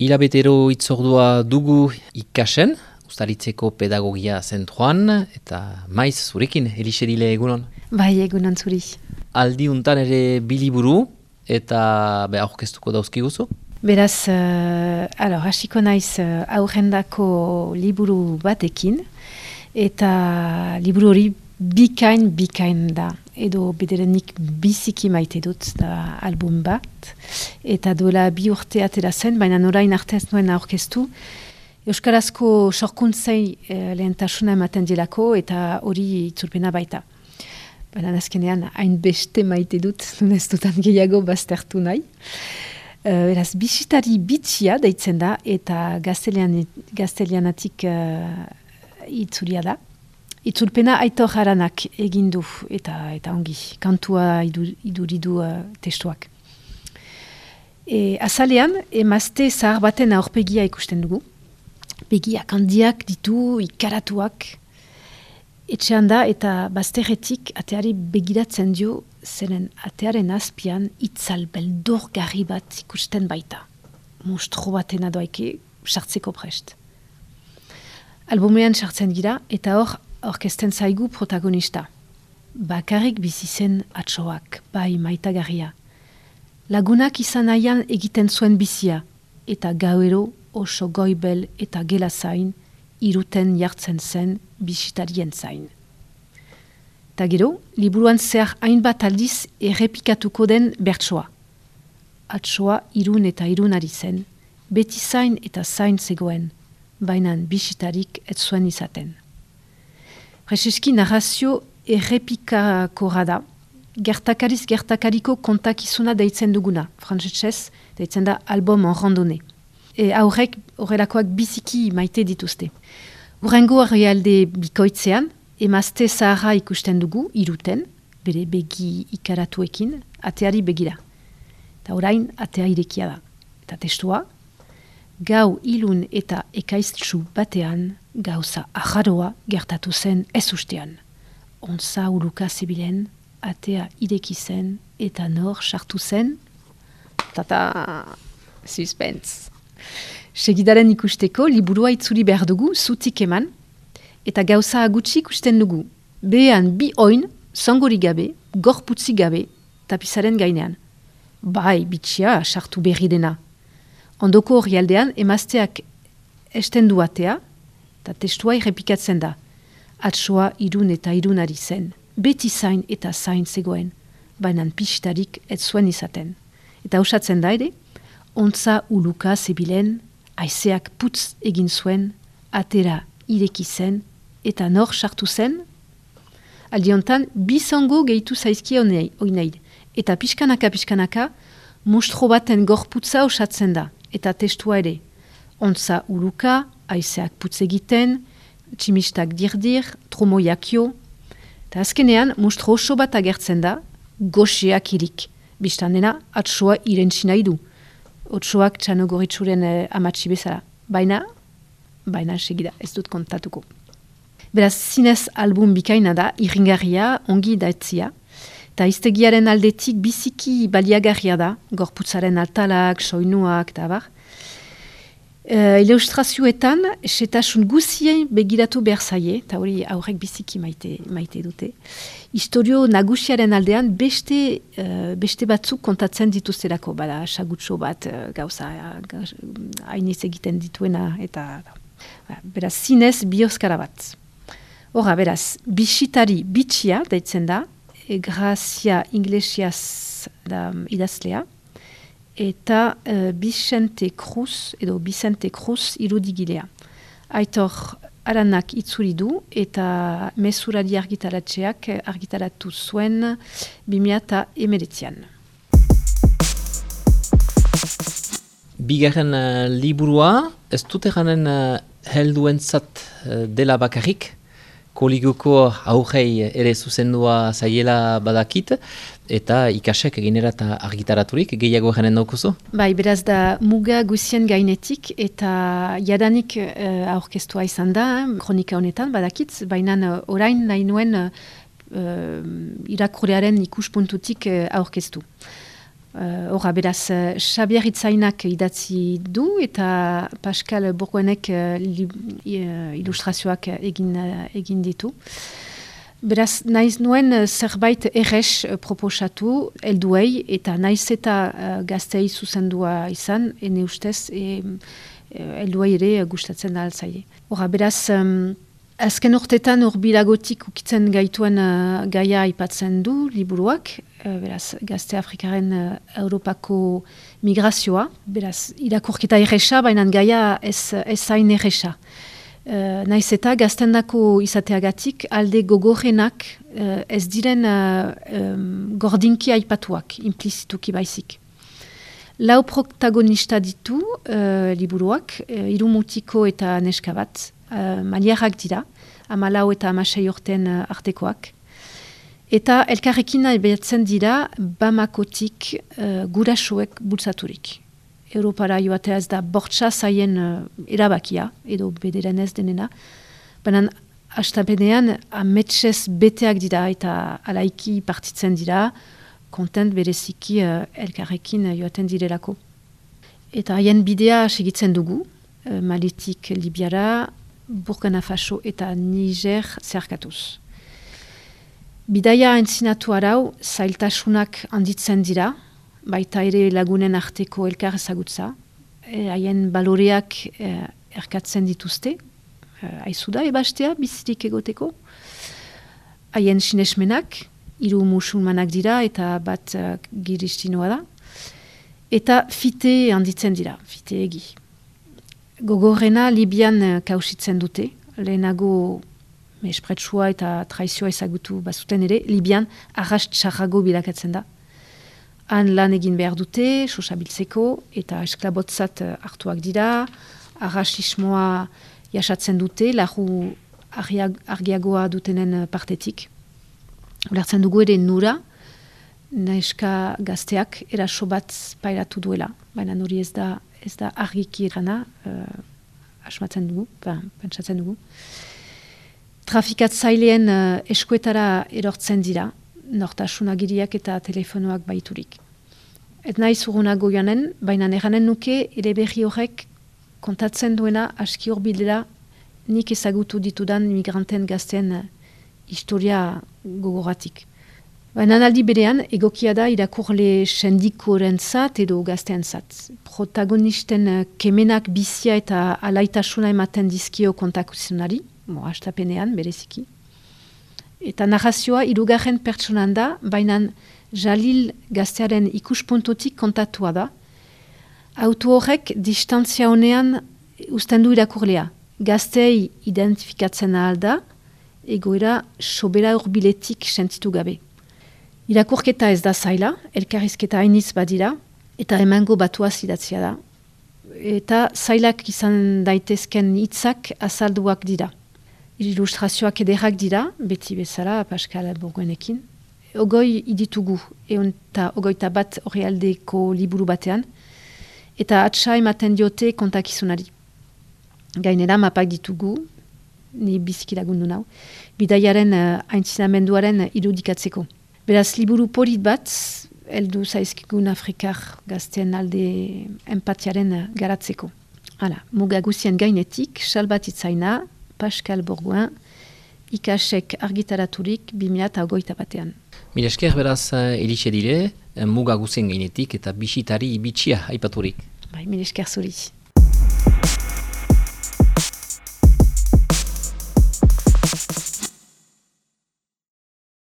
Hilabetero itzordua dugu ikasen, Uztaritzeko pedagogia zentroan, eta maiz zurekin, Elixerile egunon. Bai, egunon zuri. Aldi untan ere biliburu, eta aurkeztuko dauzkiguzu? Beraz, hasiko naiz aurrendako liburu batekin, eta liburu hori bikain da. Edo bederenik biziki maite dut da album bat, eta duela 2 urte atera zen, baina orain arte ez nuen aurkeztu. Euskarazko sorkuntzei lehentasuna ematen dilako, eta hori itzulpena baita. Baina azkenean hain beste maite dut, ez dutan gehiago baztertu nahi. Beraz, bisitari bitxia deitzen da, eta gaztelianatik itzulia da. Itzulpena Aitor Haranak egin du eta ongi, kantua iduridu testuak. Azalean, emazte zahar baten aurpegia ikusten dugu. Begiak handiak ditu, ikaratuak. Etxean da eta bazterretik ateari begiratzen dio, zeren atearen azpian itzal beldurgarri bat ikusten baita. Monstro batena doaike sartzeko prest. Albumean sartzen gira eta hor orkesten zaigu protagonista. Bakarrik bizi zen atsoak, bai maitagarria. Lagunak izan nahian egiten zuen bizia, eta gauero oso goibel eta gela zain, iruten jartzen zen bisitarien zain. Ta gero, liburuan zehar hainbat aldiz errepikatuko den bertsoa. Atsoa irun eta irun ari zen, beti zain eta zain zegoen, bainan bisitarik ez zuen izaten. Prezeski narrazio errepikakorra da, gertakariz gertakariko kontakizuna deitzen duguna, frantzesez deitzen da album en randonne. Aurrek horrelakoak biziki maite dituzte. Hurrengo herrialde bikoitzean, emazte zaharra ikusten dugu, iruten, bere begi ikaratuekin, ateari begira. Eta orain atea irekia da. Eta testua, gau ilun eta ekaiztsu batean, gauza ajaroa gertatu zen ez ustean. Ontza uruka zebilen, atea ireki zen, eta nor sartu zen. Tata, suspense. Segidaren ikusteko, liburua itzuli behar dugu, zutik eman, eta gauza agutsi ikusten dugu. Behean bi oin, zangori gabe, gorputzi gabe, tapizaren gainean. Bai, bitxia, sartu berri dena. Ondoko horrialdean, emazteak estendu atea, eta testua errepikatzen da. Atsoa irun eta irunari zen. Beti zain eta zain zegoen, bainan pistarik ez zuen izaten. Eta usatzen da ere, ontza uluka zebilen, haizeak putz egin zuen, atera ireki zen, eta nor sartu zen. Aldiontan, bizango gehitu zaizkia oinaid. Eta pixkanaka, monstro baten gorputza osatzen da. Eta testua ere, ontza uluka, haizeak putz egiten, tximistak dirdir, tromoiakio. Eta azkenean, monstro oso bat agertzen da, goxeak irik. Bistan dena, atsoa irentsi nahi du. Otsoak txanogoritzuren amatsi bezala. Baina segida, ez dut kontatuko. Beraz, zinez album bikaina da, irringarria, ongi daetzia. Eta iztegiaren aldetik biziki baliagarria da, gorputzaren altalak, soinuak, eta bar. Ilustrazioetan, setasun guzien begiratu behar zaie, eta hori aurrek biziki maite dute. Historio nagusiaren aldean beste batzuk kontatzen dituzterako, bada sagutxo bat gauza hainez egiten dituena, eta beraz, zinez bioskara bat. Horra, beraz, bisitari bitxia deitzen da, Grazia Iglesias da idazlea, eta Vicente Cruz irudigilea. Aitor Haranak itzuli du eta mesurari argitaratzeak argitaratu zuen 2019an. Bigarren liburua, ez dut eganen helduentzat dela bakarrik, koligoko aurrei ere zuzendua zaiela badakit, eta ikasek eginera eta argitaraturik, gehiago janen daukuzu? Bai, beraz da muga guzien gainetik, eta jadanik aurkeztua izan da, kronika honetan badakit, baina orain nahi nuen irakurlearen ikuspuntutik aurkeztu. Horra, beraz, Xabier Itzainak idatzi du, eta Pascal Bourgoenek ilustrazioak egin ditu. Beraz, naiz nuen zerbait errex proposatu helduei, eta naiz eta gaztei zuzendua izan, ene ustez, helduei ere gustatzen da altzaile. Horra, beraz, azken urtetan urbilagotik ukitzen gaituen gaia aipatzen du liburuak, beraz, gazte Afrikaren Europako migrazioa, beraz, irakurketa erresa, baina gaia ez zain erresa. Naiz eta gaztendako izateagatik alde gogorrenak ez diren gordinki aipatuak, implizituki baizik. Lau protagonista ditu liburuak, hiru mutiko eta neska bat, maliarrak dira, 14 eta 16 urten artekoak. Eta elkarrekin albeatzen dira Bamakotik gurasoek bultzaturik. Europara joatea ez da bortxa zaien erabakia, edo bederen ez denena. Baina hastapenean ametsez beteak dira eta alaiki partitzen dira, kontent bereziki elkarrekin joaten direlako. Eta haien bidea segitzen dugu, Malitik Libiara, Burkina Faso eta Niger zeharkatuz. Bidaia entzinatu arau, zailtasunak handitzen dira, baita ere lagunen arteko elkar ezagutza, haien baloreak erkatzen dituzte, haizu da ebastea bizirik egoteko, haien sinesmenak, 3 musulmanak dira eta bat giristinoa da, eta fite handitzen dira, fite egi. Gogorrena Libian kausitzen dute, lehenago mespretsua eta traizioa ezagutu bazuten ere, Libian arras txarrago bilakatzen da. Han lan egin behar dute, sosabiltzeko, eta esklabotzat hartuak dira, arrasismoa jasatzen dute, lahu argiagoa dutenen partetik. Ulertzen dugu ere nura, neska gazteak eraso bat pairatu duela, baina nori ez da argiki erana, asmatzen dugu, pentsatzen dugu. Trafikatzaileen eskuetara erortzen dira, nortasunagiriak eta telefonoak baiturik. Et nahi zurunago joanen, baina eranen nuke ere berri horrek kontatzen duena aski horbidela nik ezagutu ditudan migranten gazten historia gogoratik. Baina aldi berean, egokia da irakurle sendikorentzat edo gazteentzat. Protagonisten kemenak bizia eta alaitasuna ematen dizkio kontakuzionari, hastapenean bereziki. Eta narrazioa 3. pertsonan da, baina Jalil gaztearen ikuspuntotik kontatua da. Auto horrek distantzia honean uzten du irakurlea. Gaztei identifikatzen ahal da, egoera sobera urbiletik sentitu gabe. Irakurketa ez da zaila, elkarrizketa hainitz badira, eta emango batuaz idatzia da. Eta zailak izan daitezken hitzak azalduak dira. Ilustrazioak ederrak dira, beti bezala, Pascal Bourgoenekin. Ogoi iditugu, eta 21 orrialdeko liburu batean, eta atsa ematen diote kontakizunari. Gainera mapak ditugu, ni biziki lagundu nau, bidaiaren aintzinamenduaren irudikatzeko. Beraz, liburu polit bat, heldu zaizkigun Afrikar gazten alde empatiaren garatzeko. Hala, muga guzien gainetik, Salbat Itzaina, Pascal Bourgoen, ikasek argitaraturik 2021. Mila esker beraz Elise dire, muga guzien gainetik eta bisitari bitxia aipaturik. Bai, mila esker zuri.